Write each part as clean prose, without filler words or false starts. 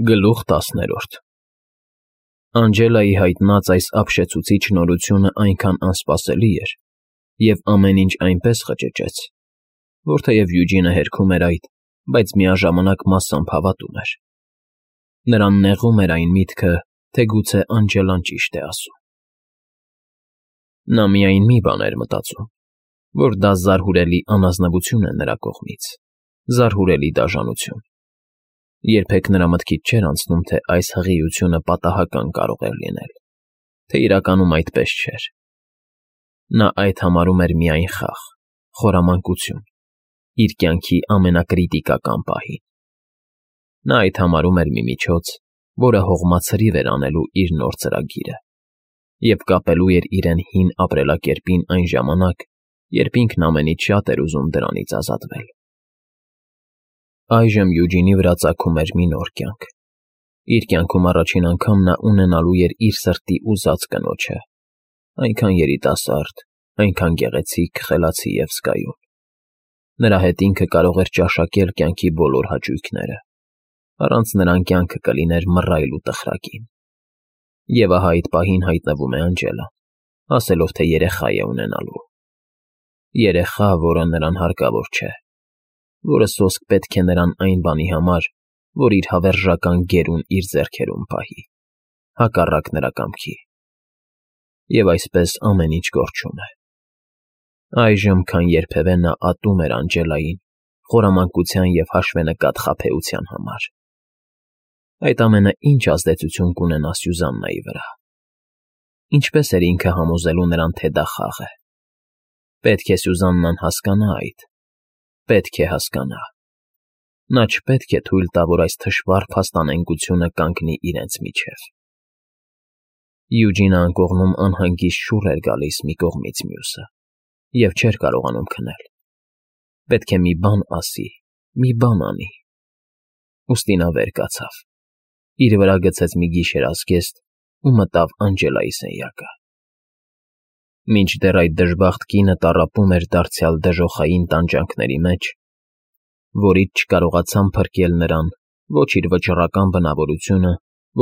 Գլուխ 10 Անջելայի հայտնած այս ապշեցուցիչ նորությունը այնքան անսպասելի էր և ամեն ինչ այնպես խճճեց, որ թեև Յուջինը հերքում էր այդ, բայց միաժամանակ մասամբ հավատում էր. նրան նեղում էր այն միտքը, թե գուցե Անջելան ճիշտ է ասում։ Նա միայն մի բան էր մտածում, որ դա զարհուրելի անազնվություն է նրա կողմից, զարհուրելի դաժանություն։ Երբեք նրա մտքից չէր անցնում, թե այս հղիությունը պատահական կարող էր լինել, թե իրականում այդպես չէր։ Նա այդ համարում էր միայն խաղ, խորամանկություն, իր կյանքի ամենակրիտիկական պահին։ Նա այդ համարում էր մի միջոց, որը հողմացրիվ էր անելու իր նոր ծրագիրը և կապելու էր իրեն հին ապրելակերպին այն ժամանակ, երբ ինքն ամենից շատ էր ուզում դրանից ազատվել։ Այժմ Յուջինի վրա ծագում էր մի նոր կյանք։ Իր կյանքում առաջին անգամ նա ունենալու էր իր սրտի ուզած կնոջը, այնքան երիտասարդ, այնքան գեղեցիկ, խելացի և զգայուն։ Նրա հետ ինքը կարող էր ճաշակել կյանքի բոլոր հաճույքները, առանց նրան կյանքը կլիներ մռայլ ու տխրակին։ Եվ ահա այդ պահին հայտնվում է Անջելան, ասելով, թե երեխա է ունենալու։ Երեխա, որը նրան հարկավոր չէ, որը սոսկ պետք է նրան այն բանի համար, որ իր հավերժական գերուն իր ձեռքերում պահի, հակառակ նրա կամքի։ Եվ այսպես ամեն ինչ կորչում է։ Այժմ, քան երբևէ նա ատում էր Անջելային խորամանկության և հաշվենկատ խաբեության համար։ Այդ ամենը ինչ ազդեցություն կունենա Սյուզաննայի վրա։ Ինչպես էր ինքը համոզելու նրան, թե դա խաղ է։ Պետք է Սյուզաննան հասկանա այդ։ Պետք է հասկանա։ Նա չպետք է թույլ տա, որ այս թշվառ փաստանենգությունը կանգնի իրենց միջև։ Յուջինը անկողնում անհանգիստ շուռ էր գալիս մի կողմից մյուսը և չէր կարողանում քնել։ Պետք է մի բան ասի, մի բան անի։ Ուստի նա վեր կացավ, իր վրա գցեց մի գիշերազգեստ ու մտավ Անջելայի սենյակը։ Մինչդեռ այդ դժբախտ կինը տառապում էր դարձյալ դժոխային տանջանքների մեջ, որից չկարողացան փրկել նրան ոչ իր վճռական բնավորությունը,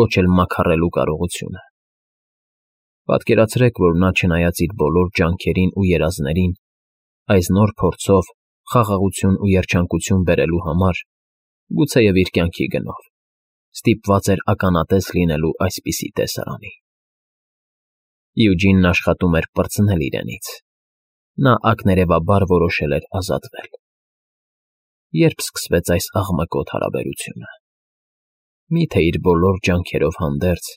ոչ էլ մաքարելու կարողությունը։ Պատկերացրեք, որ նա, չնայած իր բոլոր ջանքերին ու երազներին, այս նոր փորձով խաղաղություն ու երջանկություն բերելու համար, գուցեև իր կյանքի գնով, ստիպված էր ականատես լինելու այսպիսի տեսարանի։ Յուջինն աշխատում էր պրծնել իրենից։ Նա ակներևաբար որոշել էր ազատվել։ Երբ սկսվեց այս աղմկոտ հարաբերությունը։ Միթե իր բոլոր ջանքերով հանդերձ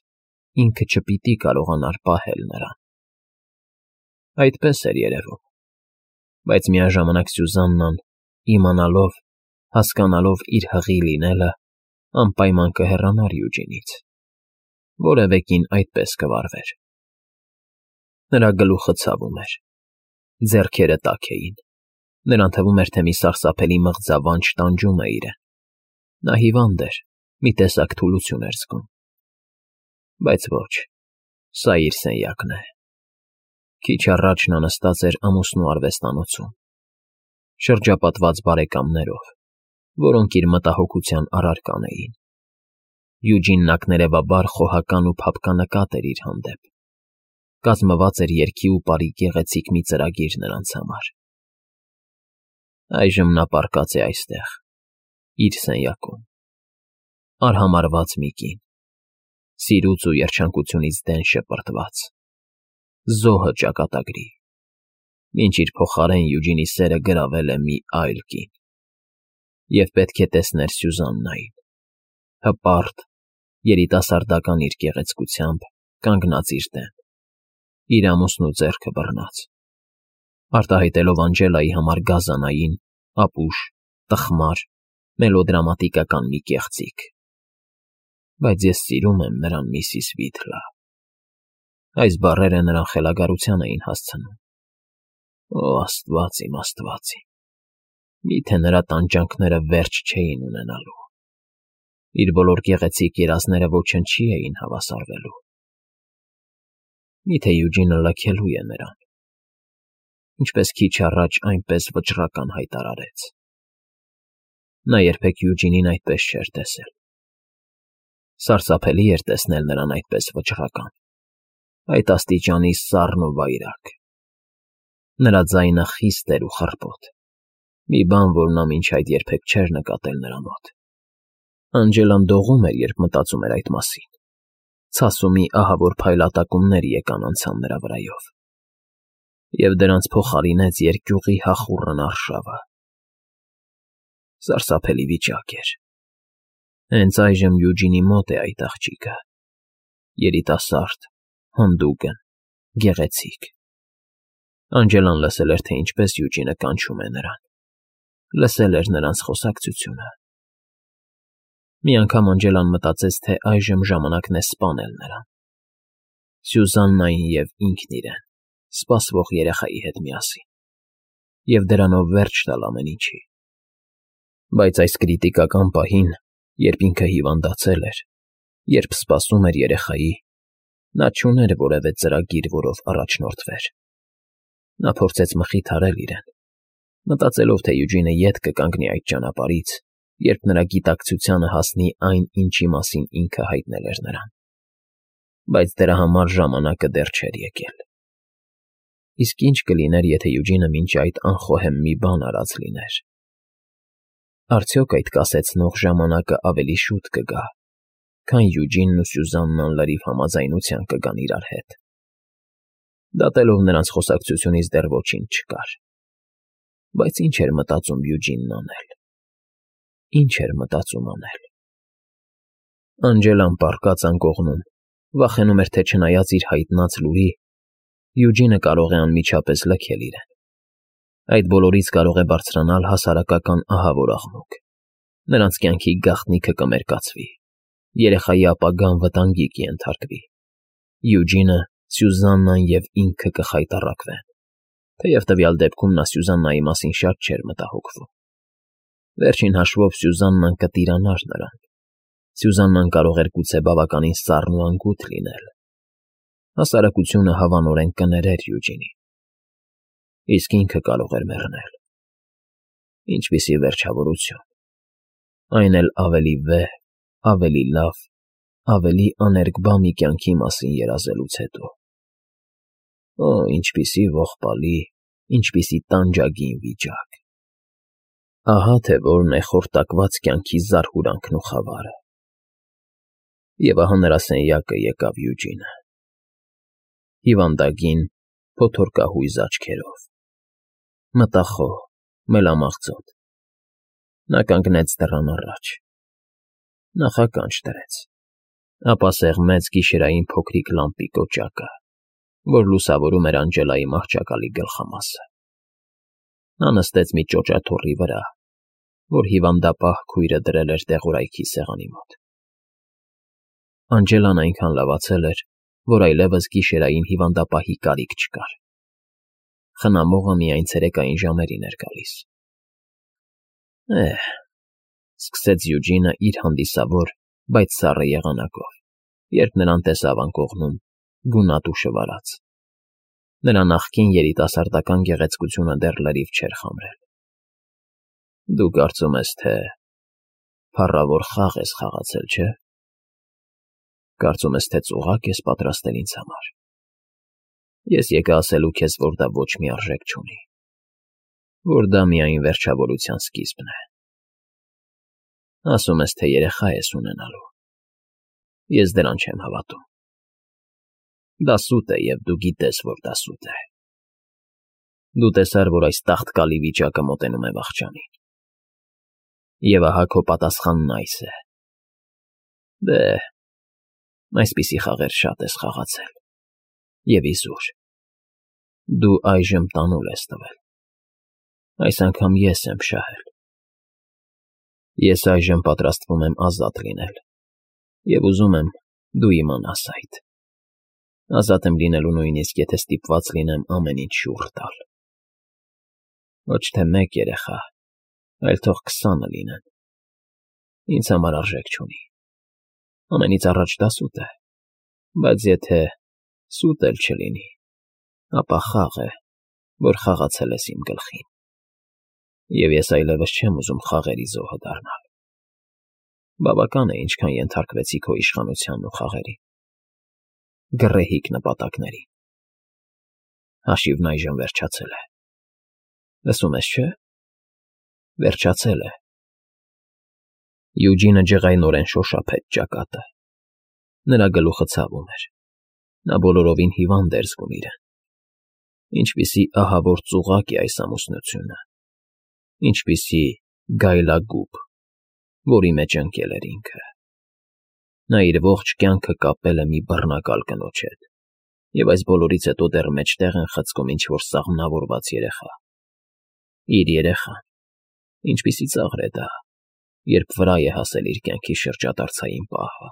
ինքը չպիտի կարողանար պահել նրան։ Այդպես էր երևում։ Բայց միաժամանակ Սյուզաննան, իմանալով, հասկանալով իր հղի լինելը, անպայման կհեռանար Յուջինից։ Որևէ կին այդպես կվարվեր։ Նրա գլուխը ցավում էր։ Ձեռքերը տաք էին։ Նրան թվում էր, թե մի սարսափելի մղձավանջ տանջում է իրեն։ Նա հիվանդ էր, մի տեսակ թուլություն էր զգում։ Բայց ոչ, սա իր սենյակն է։ Քիչ առաջ նա նստած էր ամուսնու արվեստանոցում, շրջապատված բարեկամներով, որոնք իր մտահոգության առարկան էին։ Յուջինն ակներևաբար խոհական ու փափկանկատ էր իր հանդեպ։ Կազմված էր երգի ու պարի գեղեցիկ մի ծրագիր նրանց համար։ Այժմ նա պառկած է այստեղ, իր սենյակում, արհամարհված մի կին, սիրուց ու երջանկությունից դեն շպրտված, զոհը ճակատագրի, մինչ իր փոխարեն Յուջինի սերը գրավել է մի այլ կին։ Եվ պետք է տեսներ Սյուզաննային, հպարտ, երիտասարդական իր գեղեցկությամբ, կանգնած իր դեմ, իր ամուսնու ձեռքը բռնած, արտահայտելով Անջելայի համար գազանային, ապուշ, տխմար, մելոդրամատիկական մի կեղծիք։ Բայց ես սիրում եմ նրան, միսիս Վիթլա։ Այս բառերը նրան խելագարության էին հասցնում։ Օ, Աստված իմ, Աստված իմ, միթե նրա տանջանքները վերջ չէին ունենալու։ Իր բոլոր գեղեցիկ երազները ոչնչի էին հավասարվելու։ Միթե Յուջինը լքելու է նրան, ինչպես քիչ առաջ այնպես վճռական հայտարարեց։ Նա երբեք Յուջինին այդպես չէր տեսել։ Սարսափելի էր տեսնել նրան այդպես վճռական, այդ աստիճանի սառն ու վայրագ։ Նրա ձայնը խիստ էր ու խռպոտ, մի բան, որ նա մինչ այդ երբեք չէր նկատել նրա մոտ։ Անջելան դողում էր, երբ մտածում էր այդ մասին։ Ցասումի ահավոր փայլատակումներ եկան անցան նրա վրայով, և դրանց փոխարինեց երկյուղի հախուռն արշավը։ Սարսափելի վիճակ էր։ Հենց այժմ Յուջինի մոտ է այդ աղջիկը, երիտասարդ, հանդուգն, գեղեցիկ։ Անջելան լսել էր, թե ինչպես Յուջինը կանչում է նրան, լսել էր նրանց խոսակցությունը։ Մի անգամ Անջելան մտածեց, թե այժմ ժամանակն է սպանել նրան, Սյուզաննային և ինքն իրեն, սպասվող երեխայի հետ միասին, և դրանով վերջ տալ ամեն ինչի։ Բայց այս կրիտիկական պահին, երբ ինքը հիվանդացել էր, երբ սպասում էր երեխայի, նա չուներ որևէ ծրագիր, որով առաջնորդվեր։ Նա փորձեց մխիթարել իրեն, մտածելով, թե Յուջինը ետ կկանգնի այդ ճանապարհից, երբ նրա գիտակցությանը հասնի այն, ինչի մասին ինքը հայտնել էր նրան։ Բայց դրա համար ժամանակը դեռ չէր եկել։ Իսկ ինչ կլիներ, եթե Յուջինը մինչ այդ անխոհեմ մի բան արած լիներ։ Արդյոք այդ կասեցնող ժամանակը ավելի շուտ կգա, քան Յուջինն ու Սյուզաննան լրիվ համաձայնության կգան իրար հետ։ Դատելով նրանց խոսակցությունից դեռ ոչինչ չկար։ Բայց ինչ էր մտածում Յուջինն անել։ Ինչ էր մտածում անել։ Անջելան պառկած անկողնում, վախենում էր, թե չնայած իր հայտնած լուրի, Յուջինը կարող է անմիջապես լքել իրեն։ Այդ բոլորից կարող է բարձրանալ հասարակական ահավոր աղմուկ։ Նրանց կյանքի գաղտնիքը կմերկացվի, երեխայի ապագան վտանգի կենթարկվի։ Յուջինը, Սյուզաննան և ինքը կխայտառակվեն, թեև տվյալ դեպքում նա Սյուզաննայի մասին շատ չէր մտահոգվում։ Վերջին հաշվով Սյուզաննան կտիրանար նրան։ Սյուզաննան կարող էր գուցե բավականին սառն ու անգութ լինել։ Հասարակությունը հավանորեն կներեր Յուջինին։ Իսկ ինքը կարող էր մեռնել։ Ինչպիսի վերջավորություն։ Այն էլ ավելի վեհ, ավելի լավ, ավելի աներկբա մի կյանքի մասին երազելուց հետո։ Օ, ինչպիսի ողբալի, ինչպիսի տանջագին վիճակ։ Ահա թե որն է խորտակված կյանքի զարհուրանքն ու խավարը։ Եվ ահա նրա սենյակը եկավ Յուջինը։ Հիվանդագին, փոթորկահույզ աչքերով, մտախոհ, մելամաղձոտ։ Նա կանգնեց դռան առաջ, նախականջ դրեց, ապա սեղմեց գիշերային փոքրիկ լամպի կոճակը, որ լուսավորում էր Անջելայի մահճակալի գլխամասը։ Նա նստեց մի ճոճաթոռի վրա, որ հիվանդապահ քույրը դրել էր դեղորայքի սեղանի մոտ։ Անջելան այնքան լավացել էր, որ այլևս գիշերային հիվանդապահի կարիք չկար։ Խնամողը միայն ցերեկային ժամերին էր գալիս։ Սկսեց Յուջինը իր հանդիսավոր, բայց սառը եղանակով, երբ նրան տեսավ անկողնում, գունատ ու շվարած։ Նրա նախկին երիտասարդական գեղեցկությունը դեռ լրիվ չէր խամրել։ Դու կարծում ես, թե փառավոր խաղ ես խաղացել, չէ՞։ Կարծում ես, թե ծուղակ ես պատրաստել ինձ համար։ Ես եկա ասելու քեզ, որ դա ոչ մի արժեք չունի, որ դա միայն վերջավորության սկիզբն է։ Ասում ես, թե երեխա ես ունենալու։ Ես դրան չեմ հավատում։ Դա սուտ է, և դու գիտես, որ դա սուտ է։ Դու տեսար, որ այս տաղտկալի վիճակը մոտենում է վախճանին։ Եվ ահա քո պատասխանն այս է։ Դե, այսպիսի խաղեր շատ ես խաղացել, և իզուր։ Դու այժմ տանուլ ես տվել։ Այս անգամ ես եմ շահել։ Ես այժմ պատրաստվում եմ ազատ լինել, և ուզում եմ դու իմանաս այդ։ Ազատ եմ լինելու նույնիսկ, եթե ստիպված լինեմ ամեն ինչ շուռ տալ։ Ոչ թե մեկ երեխա, այլ թող 20 լինեն։ Ինձ համար արժեք չունի։ Ամենից առաջ դա սուտ է, բայց եթե սուտ էլ չլինի, ապա խաղ է, որ խաղացել ես իմ գլխին, և ես այլևս չեմ ուզում խաղերի զոհը դառնալ։ Բավական է, ինչքան ենթարկվեցի քո իշխանությանն ու խաղերի։ Գռեհիկ նպատակների։ Հաշիվն այժմ վերջացել է։ Լսում ես, չէ՞։ Վերջացել է։ Յուջինը ջղայնորեն շոշափեց ճակատը։ Նրա գլուխը ցավում էր։ Նա բոլորովին հիվանդ էր զգում իրեն։ Ինչպիսի ահավոր ծուղակ է այս ամուսնությունը։ Ինչպիսի գայլագուբ, որի մեջ ընկել էր ինքը։ Նա իր ողջ կյանքը կապել է մի բռնակալ կնոջ հետ, և այս բոլորից հետո դեռ մեջտեղ են խցկում ինչ-որ սաղմնավորված երեխա։ Իր երեխան։ Ինչպիսի ծաղր է դա, երբ վրա է հասել իր կյանքի շրջադարձային պահը։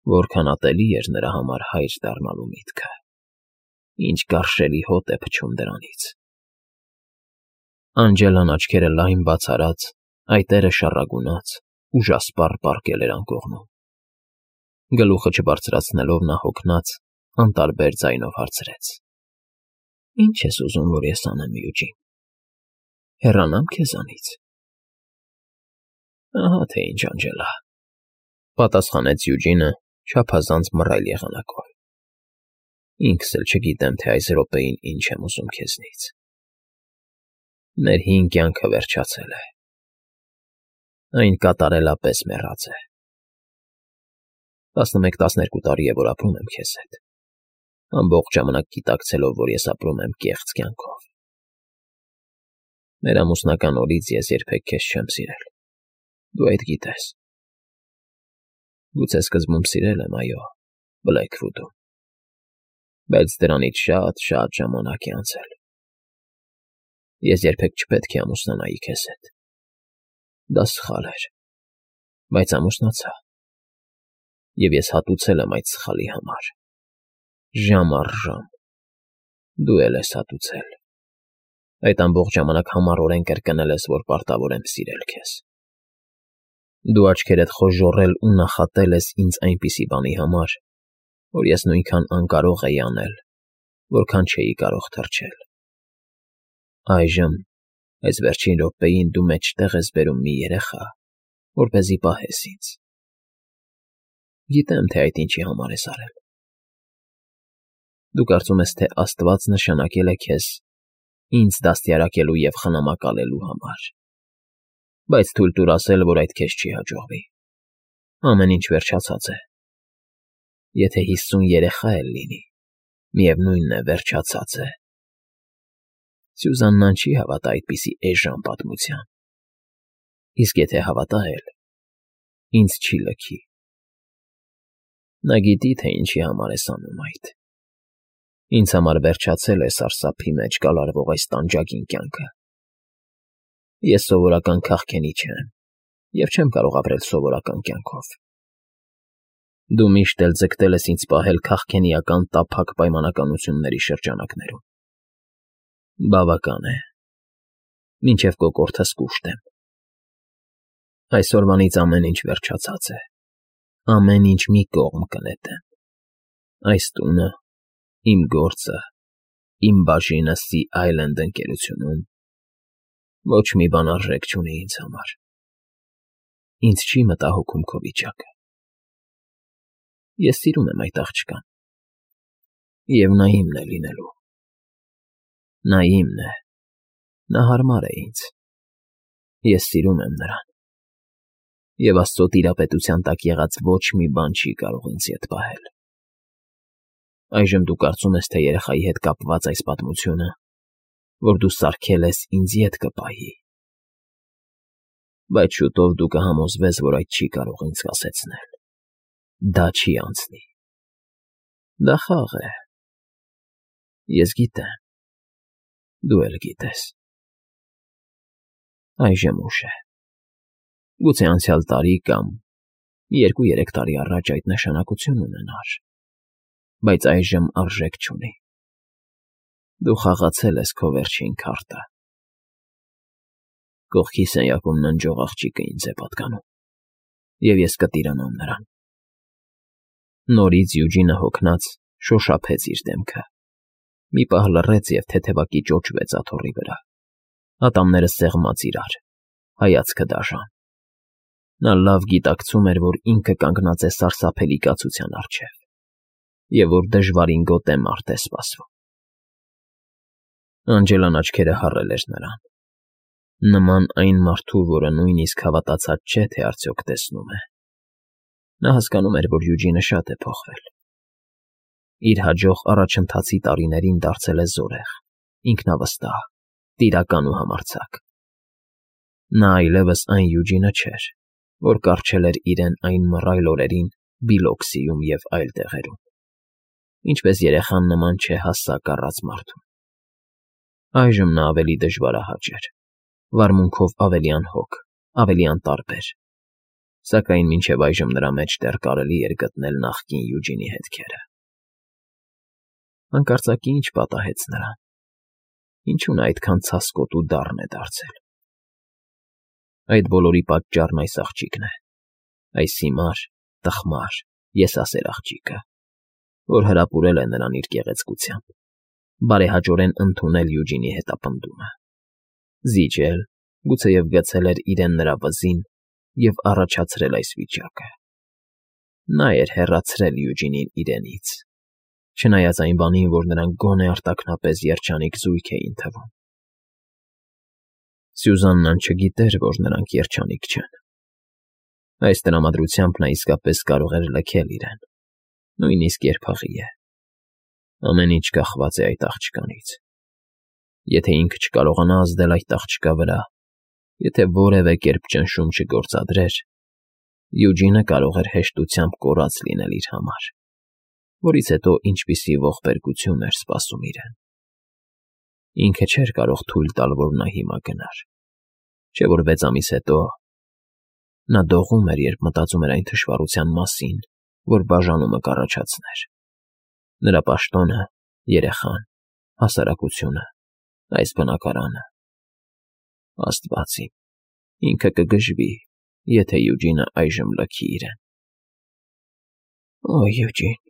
Որքան ատելի էր նրա համար հայր դառնալու միտքը։ Ինչ գարշելի հոտ է փչում դրանից։ Անջելան աչքերը լայն բաց արած, այտերը շառագունած, ուժասպառ պառկել էր անկողնում։ Գլուխը չբարձրացնելով նա հոգնած, անտարբեր ձայնով հարցրեց. Ինչ ես ուզում, որ ես անեմ, Յուջին։ Հեռանամ քեզանից։ Ահա թե ինչ, Անջելա, պատասխանեց Յուջինը չափազանց մռայլ եղանակով։ Ինքս էլ չգիտեմ, թե այս րոպեին ինչ եմ ուզում քեզնից։ Մեր հին կյանքը վերջացել է։ Այն կատարելապես մեռած է։ 11-12 տարի է, որ ապրում եմ քեզ հետ, ամբողջ ժամանակ գիտակցելով, որ ես ապրում եմ կեղծ կյանքով։ Մեր ամուսնական օրից ես երբեք քեզ չեմ սիրել, դու այդ գիտես։ Գուցե սկզբում սիրել եմ, այո, Բլեքվուդում, բայց դրանից շատ ժամանակ է անցել։ Ես երբեք չպետք է ամուսնանայի քեզ հետ։ Դա սխալ էր, բայց ամուսնացա։ Եվ ես հատուցել եմ այդ սխալի համար։ Ժամ առ ժամ։ Դու էլ ես հատուցել։ Այդ ամբողջ ժամանակ համառորեն կրկնել ես, որ պարտավոր եմ սիրել քեզ։ Դու աչքերդ խոժոռել ու նախատել ես ինձ այնպիսի բանի համար, որ ես նույնքան անկարող էի անել, որքան չէի կարող թրջել։ Այժմ, այս վերջին րոպեին դու մեջտեղ ես բերում մի երեխա, որպեսզի պահես ինձ։ Գիտեմ, թե այդ ինչի համար ես արել։ Դու կարծում ես, թե Աստված նշանակել է քեզ ինձ դաստիարակելու և խնամակալելու համար։ Բայց թույլ տուր ասել, որ այդ քեզ չի հաջողվի։ Ամեն ինչ վերջացած է։ Եթե 50 երեխա էլ լինի, միևնույնն է, վերջացած է։ Սյուզաննան չի հավատա այդպիսի էժան պատմության։ Իսկ եթե հավատա էլ, ինձ չի լքի։ Նա գիտի, թե ինչի համար ես անում այդ։ Ինձ համար վերջացել է սարսափի մեջ կալարվող այս տանջագին կյանքը։ Ես սովորական քաղքենի չեմ և չեմ կարող ապրել սովորական կյանքով։ Դու միշտ էլ ձգտել ես ինձ պահել քաղքենիական տափակ պայմանականությունների շրջանակներում։ Բավական է։ Մինչև կոկորդս կուշտ եմ։ Այսօրվանից ամեն ինչ վերջացած է։ Ամեն ինչ մի կողմ կնետեմ։ Այս տունը, իմ գործը, իմ բաժինը Սի Այլենդ ընկերությունում ոչ մի բան արժեք չունի ինձ համար։ Ինձ չի մտահոգում քո վիճակը։ Ես սիրում եմ այդ աղջկան։ Եվ նա իմն է լինելու։ Նա իմն է։ Նա հարմար է ինձ։ Ես սիրում եմ նրան։ Եվ Աստծո տիրապետության տակ եղած ոչ մի բան չի կարող ինձ ետ պահել։ Այժմ դու կարծում ես, թե երեխայի հետ կապված այս պատմությունը, որ դու սարքել ես, ինձ ետ կպահի։ Բայց շուտով դու կհամոզվես, որ այդ չի կարող ինձ կասեցնել։ Դա չի անցնի։ Դա խաղ է։ Ես գիտեմ։ Դու էլ գիտես։ Այժմ ուշ է։ Գուցե անցյալ տարի կամ 2-3 տարի առաջ այդ նշանակություն ունենար, բայց այժմ արժեք չունի։ Դու խաղացել ես քո վերջին քարտը։ Կողքի սենյակում ննջող աղջիկը ինձ է պատկանում, և ես կտիրանամ նրան։ Նորից Յուջինը հոգնած շոշափեց իր դեմքը։ Մի պահ լռեց և թեթևակի ճոճվեց աթոռի վրա։ Ատամները սեղմած իրար, հայացքը դաժան։ Նա լավ գիտակցում էր, որ ինքը կանգնած է սարսափելի կացության առջև, և որ դժվարին գոտե մարդ է սպասվում։ Անջելան աչքերը հառել էր նրան, նման այն մարդու, որը նույնիսկ հավատացած չէ, թե արդյոք տեսնում է։ Նա հասկանում էր, որ Յուջինը շատ է փոխվել։ Իր հաջող առաջընթացի տարիներին դարձել է զորեղ, ինքնավստահ, տիրական ու համարձակ։ Նա այլևս այն Յուջինը չէր, որ կառչել էր իրեն այն մռայլ օրերին Բիլոքսիում և այլ տեղերում, ինչպես երեխան նման չեհասակ առած մարդուն։ Այժմ նա ավելի դժվարահաճ էր, վարմունքով ավելի անհոգ, ավելի անտարբեր, սակայն մինչև այժմ նրա մեջ դեռ կարելի էր գտնել նախկին Յուջինի հետքերը։ Հանկարծակի ինչ պատահեց նրան։ Ինչու նա այդքան ցասկոտ ու դառն է դարձել։ Այդ բոլորի պատճառն այս աղջիկն է, այս հիմար, տխմար, եսասեր աղջիկը, որ հրապուրել է նրան իր գեղեցկությամբ, բարեհաճորեն ընդունել Յուջինի հետապնդումը, զիջել, գուցեև գցել էր իրեն նրա վզին և առաջացրել այս վիճակը։ Նա էր հեռացրել Յուջինին իրենից, չնայած այն բանին, որ նրանք գոնե արտաքնապես երջանիկ զույգ էին թվում։ Սյուզաննան չգիտեր, որ նրանք երջանիկ չեն։ Այս տրամադրությամբ նա իսկապես կարող էր լքել իրեն, նույնիսկ երբաղի է։ Ամեն ինչ կախված է այդ աղջկանից։ Եթե ինքը չկարողանա ազդել այդ աղջկա վրա, եթե որևէ կերպ ճնշում չգործադրեր, Յուջինը կարող էր հեշտությամբ կորած լինել իր համար, որից հետո ինչպիսի ողբերգություն էր սպասում իրեն։ Ինքը չէր կարող թույլ տալ, որ նա հիմա գնար, չէ՞ որ 6 ամիս հետո… Նա դողում էր, երբ մտածում էր այն թշվառության մասին, որ բաժանումը կառաջացներ։ Նրա պաշտոնը, երեխան, հասարակությունը, այս բնակարանը… Աստված իմ, ինքը կգժվի, եթե Յուջինը այժմ լքի իրեն։ «Օ, Յուջին»,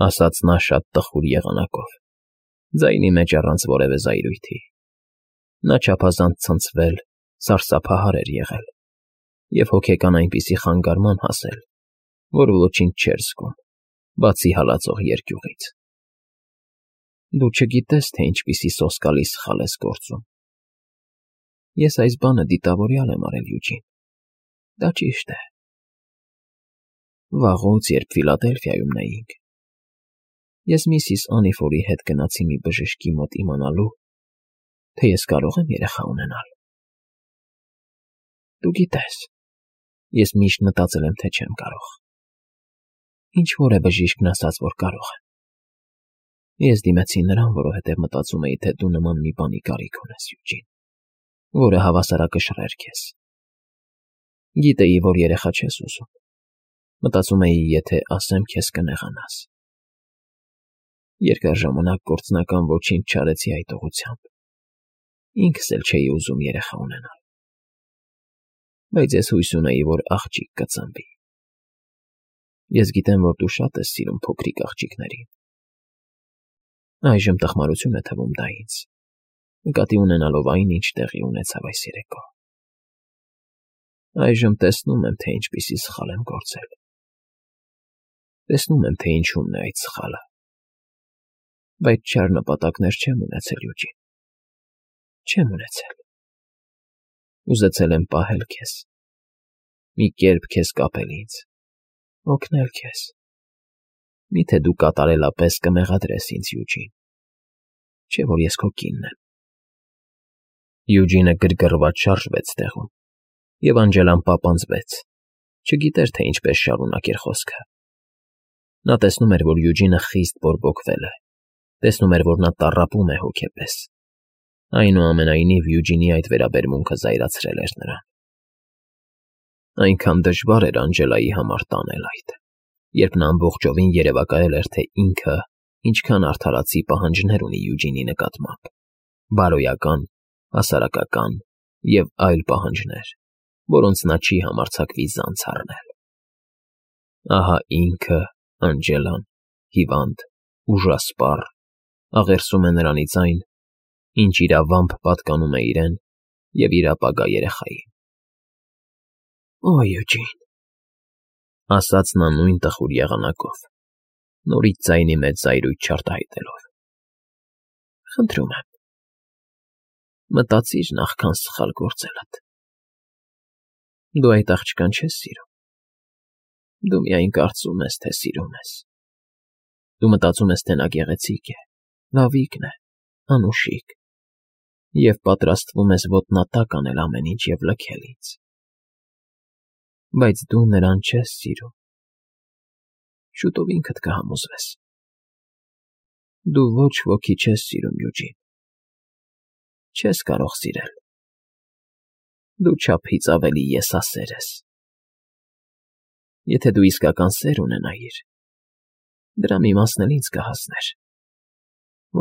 ասաց նա շատ տխուր եղանակով, ձայնի մեջ առանց որևէ զայրույթի։ Նա չափազանց ցնցվել, սարսափահար էր եղել և հոգեկան այնպիսի խանգարման հասել, որ ոչինչ չէր զգում, բացի հալածող երկյուղից։ Դու չգիտես, թե ինչպիսի սոսկալի սխալ ես գործում։ Ես այս բանը դիտավորյալ եմ արել, Յուջին, դա ճիշտ է։ Վաղուց, երբ Ֆիլադելֆիայում նայինք, ես միսիս Անիֆորի հետ գնացի մի բժշկի մոտ իմանալու, թե ես կարող եմ երեխա ունենալ։ Դու գիտես, ես միշտ մտածել եմ, թե չեմ կարող։ Ինչ-որ է բժիշկն ասաց, որ կարող եմ։ Ես դիմեցի նրան, որովհետև մտածում էի, թե դու նման մի բանի կարիք ունես, Յուջին, որը հավասարակշռեր քեզ։ Գիտեի, որ երեխա չես ուզում։ Մտածում էի, եթե ասեմ, քեզ կնեղանաս։ Երկար ժամանակ գործնական ոչինչ չարեցի այդ ուղղությամբ։ Ինքս էլ չէի ուզում երեխա ունենալ։ Բայց ես հույս ունեի, որ աղջիկ կծնվի։ Ես գիտեմ, որ դու շատ ես սիրում փոքրիկ աղջիկներին։ Այժմ տխմարություն է թվում դա ինձ, նկատի ունենալով այն, ինչ տեղի ունեցավ այս երեկո։ Այժմ տեսնում եմ, թե ինչպիսի սխալ եմ գործել։ Տեսնում եմ, թե ինչումն է այդ սխալը։ Բայց չար նպատակներ չեմ ունեցել, Յուջին։ Չեմ ունեցել։ Ուզեցել եմ պահել քեզ, մի կերպ քեզ կապել ինձ, օգնել քեզ։ Միթե դու կատարելապես կմեղադրես ինձ, Յուջին, չէ՞ որ ես քո կինն եմ։ Յուջինը գրգռված շարժվեց տեղում, և Անջելան պապանձվեց, չգիտեր, թե ինչպես շարունակեր խոսքը։ Նա տեսնում էր, որ Յուջինը խիստ բորբոքվել է, տեսնում էր, որ նա տառապում է հոգեպես։ Այնուամենայնիվ Յուջինի այդ վերաբերմունքը զայրացրել էր նրան։ Այնքան դժվար էր Անջելայի համար տանել այդ, երբ նա ամբողջովին երևակայել էր, թե ինքը ինչքան արդարացի պահանջներ ունի Յուջինի նկատմամբ, բարոյական, հասարակական և այլ պահանջներ, որոնց նա չի համարձակվի զանց առնել։ Ահա ինքը, Անջելան, հիվանդ, ուժասպառ, աղերսում է նրանից այն, ինչ իրավամբ պատկանում է իրեն և իր ապագա երեխային։ Օ, Յուջին, ասաց նա նույն տխուր եղանակով, նորից ձայնի մեջ զայրույթ չարտահայտելով։ Խնդրում եմ, մտածիր նախքան սխալ գործելդ։ Դու այդ աղջկան չես սիրում։ Դու միայն կարծում ես, թե սիրում ես։ Դու մտածում ես, թե նա գեղեցիկ է, լավիկն է, անուշիկ, և պատրաստվում ես ոտնատակ անել ամեն ինչ և լքել ինձ։ Բայց դու նրան չես սիրում։ Շուտով ինքդ կհամոզվես։ Դու ոչ ոքի չես սիրում, Յուջին։ Չես կարող սիրել։ Դու չափից ավելի եսասեր ես։ Եթե դու իսկական սեր ունենայիր, դրա մի մասն էլ ինձ կհասներ,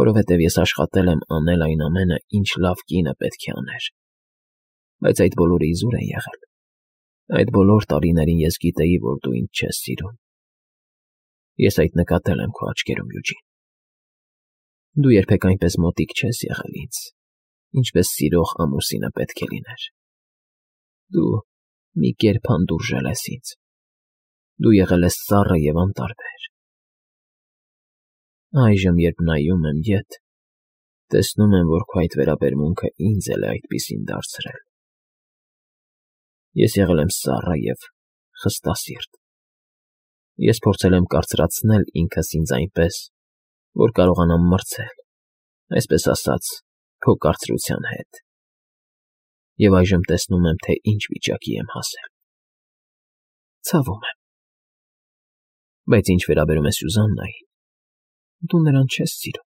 որովհետև ես աշխատել եմ անել այն ամենը, ինչ լավ կինը պետք է աներ, բայց այդ բոլորը իզուր է եղել։ Այդ բոլոր տարիներին ես գիտեի, որ դու ինձ չես սիրում։ Ես այդ նկատել եմ քո աչքերում, Յուջին։ Դու երբեք այնպես մոտիկ չես եղել ինձ, ինչպես սիրող ամուսինը պետք է լիներ։ Դու մի կերպ հանդուրժել ես ինձ։ Դու եղել ես սառը և անտարբեր։ Այժմ, երբ նայում եմ ետ, տեսնում եմ, որ քո այդ վերաբերմունքը ինձ էլ է այդպիսին դարձրել։ Ես եղել եմ սառը և խստասիրտ։ Ես փորձել եմ կարծրացնել ինքս ինձ այնպես, որ կարողանամ մրցել, այսպես ասած, քո կարծրության հետ։ Եվ այժմ տեսնում եմ, թե ինչ վիճակի եմ հասել։ Ցավում եմ։ Բայց ինչ վերաբերում է Սյուզաննային, դու նրան չես սիրում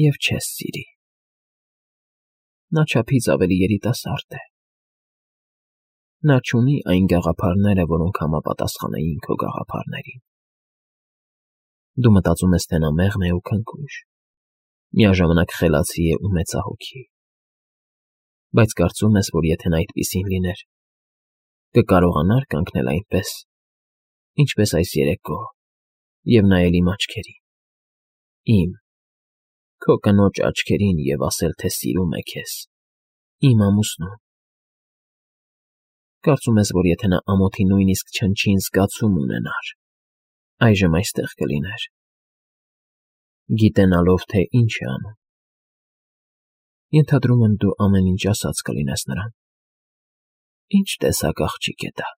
և չես սիրի։ Նա չափից ավելի երիտասարդ է։ Նա չունի այն գաղափարները, որոնք համապատասխանեին քո գաղափարներին։ Դու մտածում ես, թե նա մեղմ է ու քնքուշ, միաժամանակ խելացի է ու մեծահոգի։ Բայց կարծում ես, որ եթե նա այդպիսին լիներ, կկարողանար կանգնել այնպես, ինչպես այս երեկո, և նայել իմ աչքերին, քո կնոջ աչքերին և ասել, թե սիրում է քեզ, իմ ամուսնուն։ Կարծում ես, որ եթե նա ամոթի նույնիսկ չնչին զգացում ունենար, այժմ այստեղ կլիներ, գիտենալով, թե ինչ է անում։ Ենթադրում եմ, դու ամեն ինչ ասած կլինես նրան։ Ինչ տեսակ աղջիկ է դա։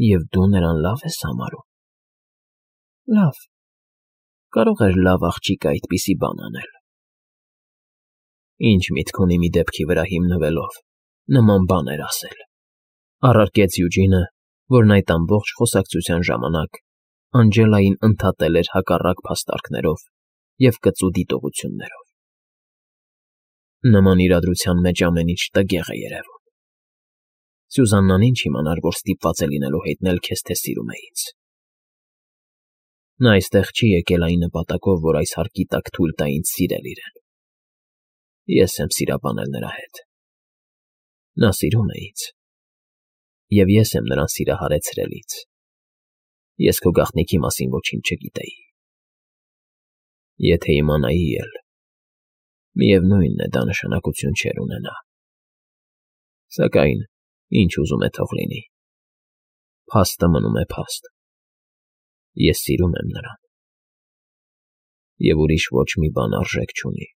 Եվ դու նրան լավ ես համարում։ Լավ, կարող էր լավ աղջիկը այդպիսի բան անել։ Ինչ միտք ունի մի դեպքի վրա հիմնվելով նման բաներ ասել, առարկեց Յուջինը, որն այդ ամբողջ խոսակցության ժամանակ Անջելային ընդհատել էր հակառակ փաստարկներով և կծու դիտողություններով։ Նման իրադրության մեջ ամեն ինչ տգեղ է երևում։ Սյուզաննան ինչ իմանար, որ ստիպված է լինելու հայտնել քեզ, թե սիրում է ինձ։ Նա այստեղ չի եկել այն նպատակով, որ այս հարկի տակ թույլ տա ինձ սիրել իրեն։ Ես եմ սիրաբանել նրա հետ։ Նա սիրում է ինձ, և ես եմ նրան սիրահարեցրել ինձ։ Ես քո գաղտնիքի մասին ոչինչ չգիտեի։ Եթե իմանայի էլ, միևնույն է, դա նշանակություն չէր ունենա։ Սակայն, ինչ ուզում է թող լինի, փաստը մնում է փաստ։ Ես սիրում եմ նրան, և ուրիշ ոչ մի բան արժեք չունի։